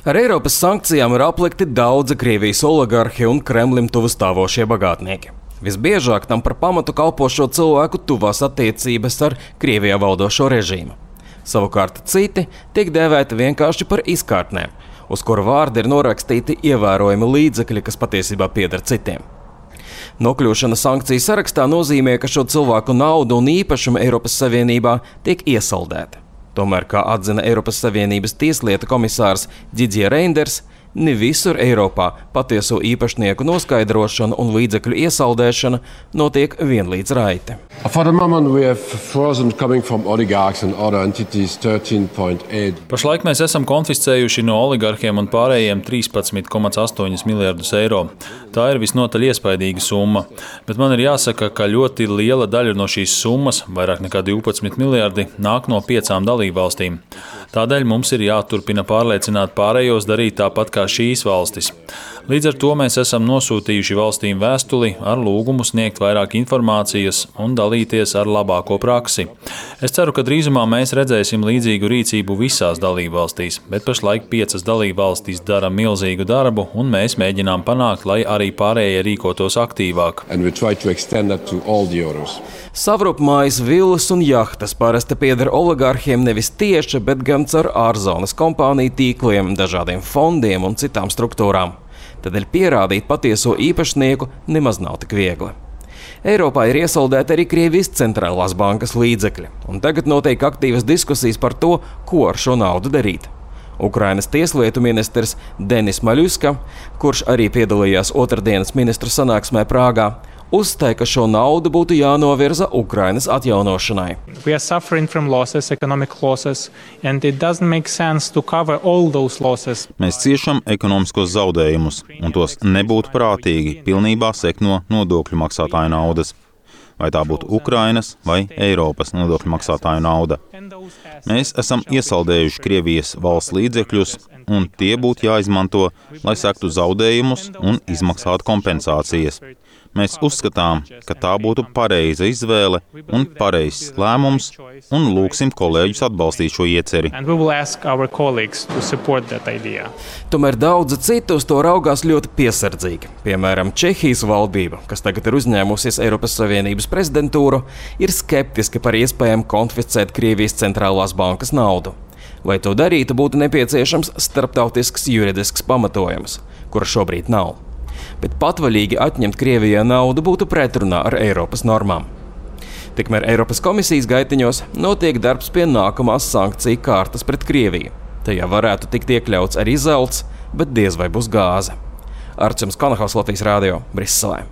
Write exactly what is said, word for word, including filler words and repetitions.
Ar Eiropas sankcijām ir aplikti daudzi Krievijas oligarhi un Kremlim tuvu stāvošie bagātnieki. Visbiežāk tam par pamatu kalpo šo cilvēku tuvās attiecības ar Krievijā valdošo režīmu. Savukārt citi tiek dēvēti vienkārši par izkārtnēm, uz kuru vārdi ir norakstīti ievērojami līdzekļi, kas patiesībā pieder citiem. Nokļūšana sankciju sarakstā nozīmē, ka šo cilvēku naudu un īpašumu Eiropas Savienībā tiek iesaldēta. Tomēr, kā atzina Eiropas Savienības tieslietu komisārs Didier Reynders, ne visur Eiropā patieso īpašnieku noskaidrošana un līdzekļu iesaldēšana notiek vienlīdz raiti. Pašlaik mēs esam konfiscējuši no oligarhiem un pārējiem trīspadsmit komats astoņi miljardus eiro. Tā ir visnotaļ iespaidīga summa, bet man ir jāsaka, ka ļoti liela daļa no šīs summas, vairāk nekā divpadsmit miljardi, nāk no piecām dalībvalstīm. Tādēļ mums ir jāturpina pārliecināt pārējos darīt tāpat kā šīs valstis. Līdz ar to mēs esam nosūtījuši valstīm vēstuli ar lūgumu sniegt vairāk informācijas un dalīties ar labāko praksi. Es ceru, ka drīzumā mēs redzēsim līdzīgu rīcību visās dalībvalstīs, bet pašlaik piecas dalībvalstis dara milzīgu darbu un mēs mēģinām panākt, lai arī pārējie rīkotos aktīvāk. Savrupmājas, villas un jahtas parasti pieder oligarhiem nevis tieši, bet gan caur ārzonas kompāniju tīkliem, dažādiem fondiem un citām struktūrām. Tādēļ pierādīt patieso īpašnieku nemaz nav tik viegli. Eiropā ir iesaldēti arī Krievijas centrālās bankas līdzekļi, un tagad notiek aktīvas diskusijas par to, ko ar šo naudu darīt. Ukrainas tieslietu ministrs Denis Maļuska, kurš arī piedalījās otrdienas ministru sanāksmē Prāgā, uzstāja, ka šo naudu būtu jānovirza Ukrainas atjaunošanai. Losses, losses, Mēs ciešam ekonomiskos zaudējumus, un tos nebūtu prātīgi pilnībā sekt no nodokļu maksātāju naudas. Vai tā būtu Ukrainas vai Eiropas nodokļu maksātāju nauda. Mēs esam iesaldējuši Krievijas valsts līdzekļus, un tie būtu jāizmanto, lai sektu zaudējumus un izmaksātu kompensācijas. Mēs uzskatām, ka tā būtu pareiza izvēle un pareizs lēmums, un lūgsim kolēģus atbalstīt šo ieceri. Tomēr daudzi citi uz to raugās ļoti piesardzīgi. Piemēram, Čehijas valdība, kas tagad ir uzņēmusies Eiropas Savienības prezidentūru, ir skeptiski par iespējām konfiscēt Krievijas centrālās bankas naudu. Lai to darītu, būtu nepieciešams starptautisks juridisks pamatojums, kura šobrīd nav. Bet patvaļīgi atņemt Krievijai naudu būtu pretrunā ar Eiropas normām. Tikmēr Eiropas komisijas gaitiņos notiek darbs pie nākamās sankciju kārtas pret Krieviju. Tajā varētu tikt iekļauts arī zelts, bet diez vai būs gāze. Arčuns Kanahaus, Latvijas Rādio, Briselē.